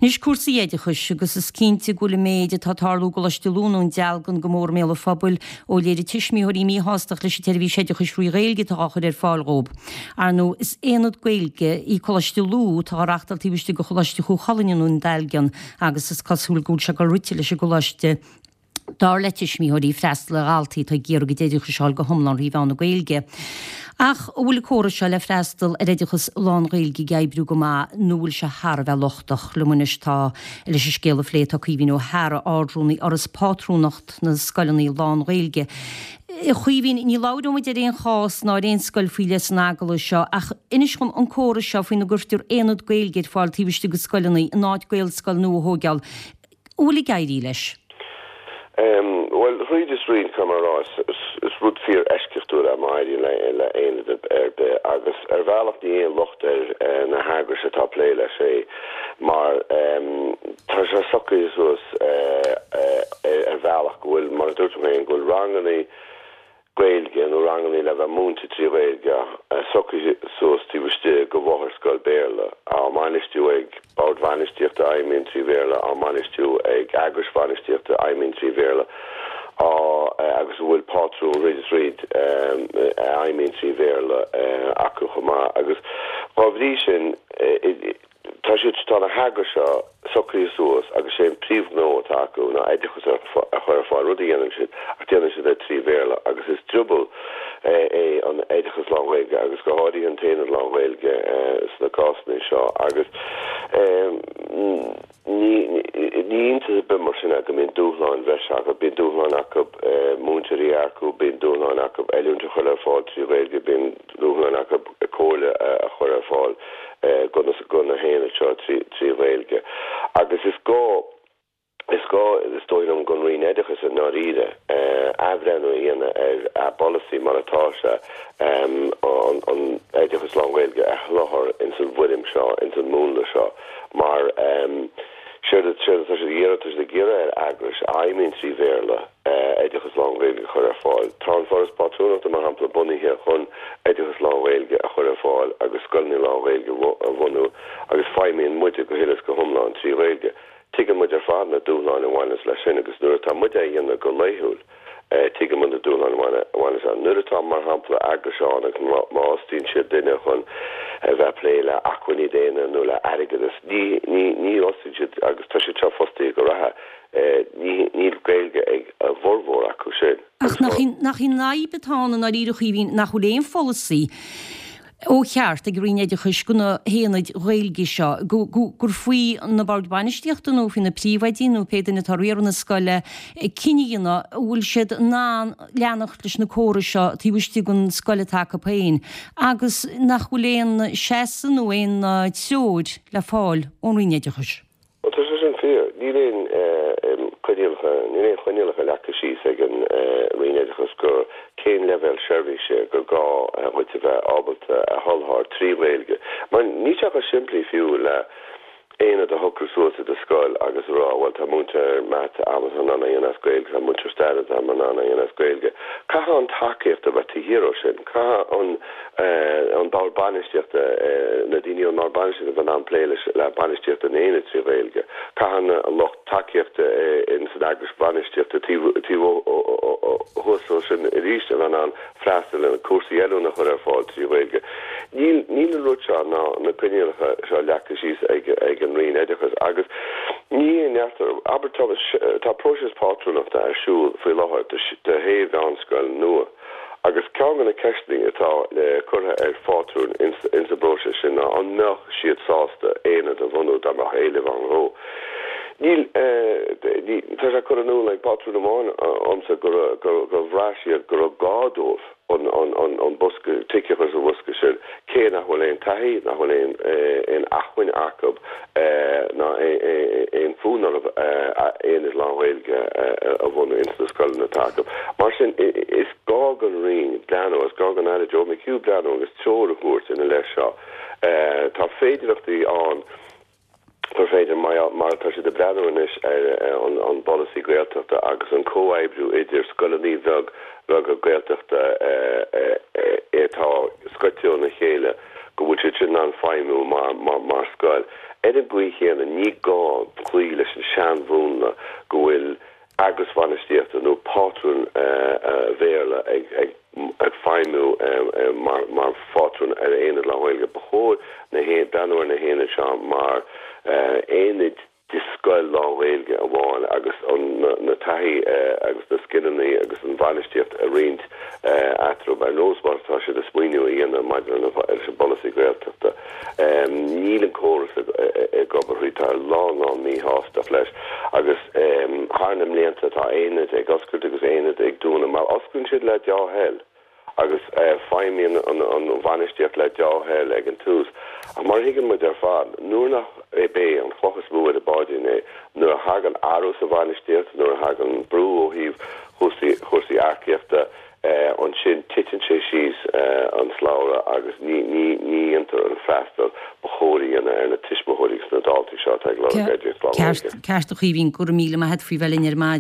Anois cúrsaí oideachais, agus is cinnte go bhfuil an méid atá ag tarlú i gColáiste Lú i nDún Dealgan go mór i mbéal an phobail ó léirigh tuismitheoirí míshástacht leis an tseirbhís oideachais thrí Ghaeilge atá á chur ar fáil dhóibh. Ar ndóigh, is aonad Gaeilge í Coláiste Lú atá á reachtáil taobh istigh de Choláiste Chú Chulainn i nDún Dealgan agus is cosúil go bhfuil sé ag dul rite leis an gcoláiste, dar le tuismitheoirí, freastal ar dhaltaí atá ag iarraidh a gcuid oideachais a fháil go hiomlán thrí mheán na Gaeilge. Ach an bhfuil an córas seo le freastal ar oideachas lán-Ghaeilge ag oibriú go maith nó an bhfuil sé thar a bheith lochtach? Liom anois tá leis an scéal a phlé tá Caoimhín Ó hEadhra, Ard-Rúnaí Fhoras Pátrúnacht na Scoileanna Lán-Ghaeilge. A Chaoimhín, ní labhróidh muid ar aon chás ná ar aon scoil faoi leith san agallamh seo ach inis dhom an córas seo faoina gcuirtear aonad Gaeilge ar fáil taobh istigh de scoileanna in áit Gaelscoil nua a thóigeáil. An bhfuil ag éirí leis? Bhuel, thríd is thríd, caithfidh mé a rá, is rud fíor-eisceachtúil é má éiríonn le haonad ar bith agus ar bhealach ní aon locht ar na heagrais atá ag plé leis é mar tá sé socraithe suas ar bhealach go bhfuil, mar a dúirt tú féin, go bhfuil ranganna Gaeilge nó ranganna le bheith múinte trí Ghaeilge socraithe suas taobh istigh de mháthair-scoil Béarla, á mbainistiú ag boird bhainistíochta a fheidhmíonn trí Bhéarla, á mbainistiú ag eagrais bhainistíochta a fheidhmíonn trí Bhéarla, á agus a bhfuil pátrún thríd is thríd a fheidhmíonn trí Bhéarla acu chomh maith. Agus dá bhrí sin, Tá siad, tá na heagrais seo socraithe suas agus sé an príomhghnó atá acu ná oideachas a chur ar fáil, rud a dhéanann siad ach déanann siad é trí Bhéarla agus is drioball é an oideachas lán-Ghaeilge agus go háirithe an t-aonad lán-Ghaeilge sna cásanna seo agus ní iontas ar bith mar sin é go mbíonn dúshláin bhreise acu. Bíonn dúshláin acu múinteoirí a earcú, bíonn dúshláin acu oiliúint a chur ar fáil trí Ghaeilge, bíonn dúshláin acu comhairle a chur ar fáil do na haonaid seo trí Ghaeilge. Agus is gá, is gá, is dóigh liom, don Roinn Oideachais i ndáiríre athbhreithniú a dhéanamh ar a bpolasaí mar atá sé, an oideachas lán-Ghaeilge a sholáthar ins an bhfoirm seo, ins an múnla seo. Mar séard atá siad ag iarraidh, tá siad ag iarraidh ar eagrais a fheidhmíonn trí Bhéarla oideachas lán-Ghaeilge a chur ar fáil. Tá an Foras Pátrúnachta, mar shampla, bunaithe chun oideachas lán-Ghaeilge a chur ar fáil agus scoileanna lán-Ghaeilge a bhunú agus feidhmíonn muide go huile is go hiomlán trí Ghaeilge. Tuigeann muid ar fad na dúshláin a bhaineas leis sin agus nuair atá muid á dhéanamh go laethúil, Tuigeann muid na dúshláin a bhaineas ann. Nuair atá, mar shampla, eagrais ann agus má fhostaíonn siad duine chun a bheith ag plé le acmhainní daonna nó le airgeadas, ní, ní, ní fhostaíonn siad, agus tá siad seo fostaithe go reatha, ní, níl Gaeilge ag a bhformhór acu sin. Ach nach í, nach í an fhadhb atá ann i ndáiríre, a Chaoimhín, nach bhfuil aon pholasaí ó cheart ag an Roinn Oideachais do na haonaid Ghaeilge seo, gur faoi na boird bainistíochta nó faoi na príomhoidí nó pé duine atá ag riaradh na scoile cinneadh a dhéanamh an bhfuil siad in ann leanacht leis na córais seo taobh istigh den scoil atá acu féin agus nach bhfuil aon seasamh nó aon treoir le fáil ón Roinn Oideachais. Bhuel, tá sé sin fíor. Níl aon coinníollacha, níl aon choinníollacha leagtha síos ag an Roinn Oideachais go cén leibhéal seirbhíse gur gá dhuit a bheith ábalta a sholáthar trí Ghaeilge. Mar níl sé chomh simplí fiú le aonad a shocrú suas i do scoil agus a rá, bhuel, tá múinteoir mata agam atá in ann é a dhéanamh as Gaeilge, tá múinteoir staire agam in ann é a dhéanamh as Gaeilge. Caithfidh an tacaíocht a bheith taobh thiar ó sin. Caithfidh an. an bord bainistíochta, na daoine ón mbord bainistíochta a bheith in ann plé leis le bainistíocht an aonaid trí Ghaeilge. Caithfidh an lucht tacaíochta in san eagrais bhainistíochta taobh thuas ó sin arís a bheith in ann freastal ar na cúrsaí oiliúna a chur ar fáil trí Ghaeilge. Níl níl an rud seo ná na coinníollacha seo leagtha síos ag ag an Roinn Oideachais agus ní haon neart abair tá tá próiseas pátrúnachta ar siúl faoi láthair do do shé mheánscoil nua. Agus ceann de na ceisteanna atá curtha ar phátrúin ins an bpróiseas sin ná an mbeadh siad sásta aonad a bhunú dá mbeadh éileamh ann dhó. Níl, tá sé curtha in iúl ag pátrún amháin dhomsa gur bhraith siad go raibh gá dóibh an bosca, tic a chur sa bhosca sin, cé nach bhfuil aon taithí, nach bhfuil aon acmhainn acu ná aon fhonn orthu aonad lán-Ghaeilge a bhunú ins na scoileanna atá acu. Mar sin, is gá don Roinn breathnú, is gá don Aire Joe McHugh breathnú agus treoir a thabhairt ina leith seo. Tá féidearthachtaí ann gur féidir, mar atá siad ag breathnú anois ar an bpolasaí Gaeltachta agus an comhoibriú idir scoileanna beaga Gaeltachta atá scoite óna chéile, go bhfuil siad sin in ann feidhmiú mar scoil. Ar an gcaoi chéanna, ní gá cloí leis an seanmhúnla go bhfuil eagrais bhainistíochta nó pátrún Bhéarla ag feidhmiú mar phátrún ar aonad lán-Ghaeilge. Ba chóir breathnú ar na haonaid seo mar aonaid de scoil lán-Ghaeilge amháin agus na taithí agus na scileanna agus an bhainistíocht a roinnt eatarthu, ar nós mar atá siad ag smaoineamh a dhéanamh maidir leis an bpolasaí Gaeltachta. Níl an córas ag obair thríd, tá lán lán míshástacht leis agus thar na mblianta tá aonaid ag oscailt agus aonaid ag dúnadh mar osclaíonn siad le deá-thoil agus feidhmíonn an bhainistíocht le deá-thoil ag an tús. Ach mar a thuigeann muid ar fad, nuair nach é an chloch is mó ar an bpáidrín é, nuair a thagann athrú sa bhainistíocht, nuair a thagann brú ó thaobh chúrsaí earcaíochta, ansin titeann sé síos an slabhra agus ní dhéantar an freastal ba chóir a dhéanamh ar na tuismitheoirí agus na daltaí seo atá ag lorg oideachas lán-Ghaeilge. Ceart, a Chaoimhín, go raibh míle maith a't faoi bheith linn ar maidin.